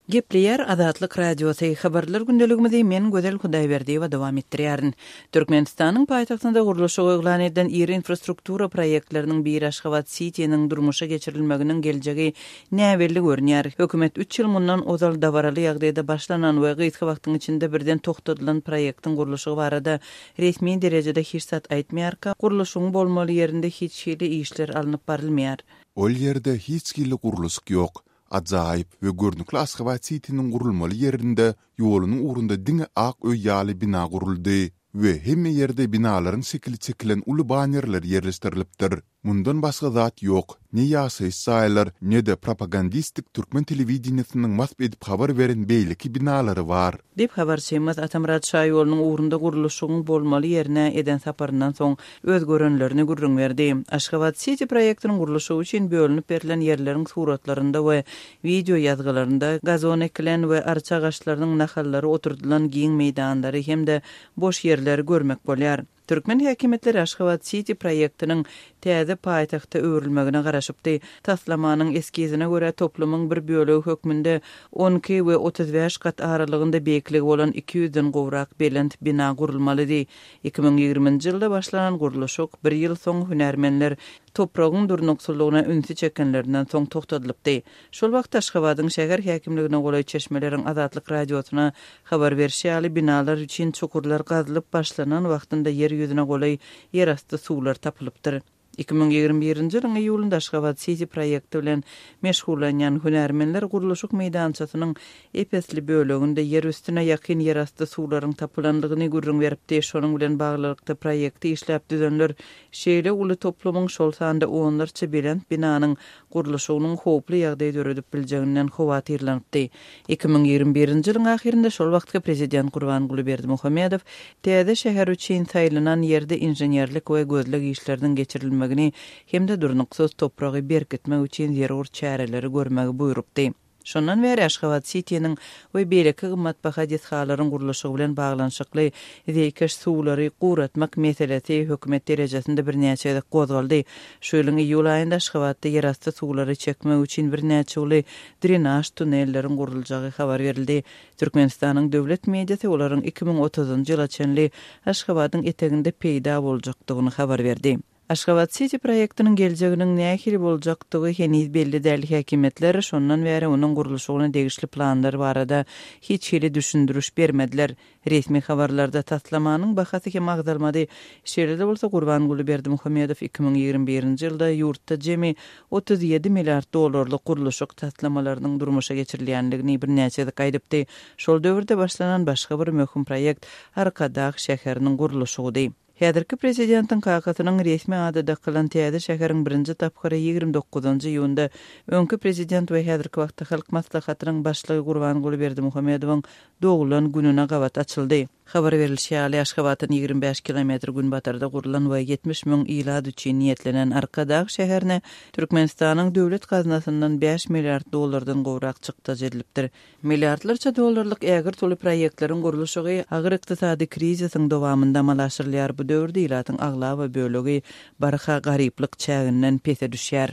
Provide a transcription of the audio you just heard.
Gepleýär Azatlyk Radiosy, Habarlar gündeligimizi men Gözel Hudaýberdiýewa dowam etdirýärin. Türkmenistanyň paýtagtynda gurluşygy yglan edilen iri infrastruktura proýektleriniň biri Aşgabat Sitiniň durmuşa geçirilmeginiň geljegi näbelli görünýär. Hökümet üç ýyl mundan ozal dabaraly ýagdaýda başlanan we gysga wagtyň içinde birden togtadylan proýektiň gurluşygy barada resmi derejede hiç zat aýtmaýarka, gurluşygyň bolmaly ýerinde hiç hili işler alnyp barylmaýar. Ol ýerde hiç hili gurluşyk ýok. Ajaýyp we görnükli Aşgabat Sitiniň gurulmaly ýerinde ýolunyň ugrunda diňe ak öý ýaly bina guruldy we hemme ýerde binalaryň şekili çekilen uly banerler ýerleşdirilipdir. Mundan başga zat ýok, ne ýaşaýyş jaýlar, ne-de propagandistik türkmen telewideniýesiniň wasp edip habar beren beýleki binalary bar. Diýip, habarçymyz Atamyrat şaýolunyň ugrunda gurluşygyň bolmaly ýerine eden saparyndan soň öz görenlerini gürrüň berdi. Aşgabat Siti proýektiniň gurluşygy üçin bölünip berlen ýerleriň suratlarynda we wideo ýazgylarynda gazon ekilen we arça agaçlarynyň nahallary oturdylan giň meýdanlary hem-de boş ýerleri görmek bolýar. Türkmen häkimiýetleri Aşgabat Siti proýektiniň täze paýtagta öwrülmegine garaşypdy. Taslamanyň eskizine görä, toplumyň bir bölegi hökmünde 12 we 35 gat aralygynda beýikligi bolan iki ýüzden gowrak belent bina gurulmalydy. 2020-nji ýylda başlanan gurluşyk bir ýyl soň hünärmenler topragyň durnuksyzlygyna ünsi çekenlerinden soň togtadylypdy. Şol wagt Aşgabadyň şäher häkimligine golaý çeşmeleriň Azatlyk Radiosyna habar berşi ýaly, binalar üçin çukurlar gazylyp başlanan wagtynda ýer ýüzüne golaý ýerasty suwlar tapylypdyr. 2021-nji ýylyň iýulynda Aşgabat Siti proýekti bilen meşgullanýan hünärmenler gurluşyk meýdançasynyň ep-esli böleginde ýer üstüne ýakyn ýerasty suwlaryň tapylandygyny gürrüň beripdi. Şonuň bilen baglylykda proýekti işläp düzenler şeýle uly toplumyň, şol sanda onlarça belent binanyň gurluşygynyň howply ýagdaý döredip biljeginden howatyrlanypdy. 2021-nji ýylyň ahyrynda şol wagtky prezident Gurbanguly Berdimuhamedow täze şäher üçin saýlanan ýerde inženerlik we gözleg işleriniň geçirilmegini hem-de durnuksyz topragy berkitmek üçin zerur çäreleri görmegi buýrupdy. Şondan bäri Aşgabat Sitiniň we beýleki gymmatbaha desgalaryň gurluşygy bilen baglanyşykly zeýkeş suwlary guratmak meselesi hökümet derejesinde birnäçe gezek gozgaldy. Şu ýylyň iýul aýynda Aşgabatda ýerasty suwlary çekmek üçin birnäçe uly drenaž tunelleriň guruljagy habar berildi. Türkmenistanyň döwlet mediasy olaryň 2030-njy ýyla çenli Aşgabadyň eteginde peýda boljakdygyny habar berdi. Aşgabat Siti proýektiniň geljeginiň nähili boljakdygy heniz belli däl, häkimiýetler şondan bäri onuň gurluşygyna degişli planlar barada hiç hili düşündiriş bermediler. Resmi habarlarda taslamanyň bahasy hem agzalmady. Şeýle-de bolsa, Gurbanguly Berdimuhamedow 2021-nji ýylda ýurtda jemi 37 milliard dollarlyk gurluşyk taslamalarynyň durmuşa geçirilýändigini birnäçe gezek aýdypdy. Şol döwürde başlanan başga bir möhüm proýekt Arkadag şäheriniň gurluşygydy. Häzirki prezidentiň kakasynyň resmi ady dakylan täze şäheriň birinji tapgyry 29-njy iýunda öňki prezident we häzirki wagtda Halk Maslahatynyň Başlygy Gurbanguly Berdimuhamedowyň doglan gününe gabat açyldy. Habar berlişi ýaly, Aşgabatdan 25 kilometr günbatarda gurlan we 70 müň ilat üçin niýetlenen Arkadag şäherine Türkmenistanyň döwlet gaznasyndan bäş milliard dollardan gowrak çykdajy edilipdir. Milliardlarça dollarlyk ägirt uly proýektleriň gurluşygy agyr ykdysady krizisiň dowamynda amala aşyrylýar, bu döwürde ilatyň aglaba bölegi barha garyplyk çäginden pese düşýär.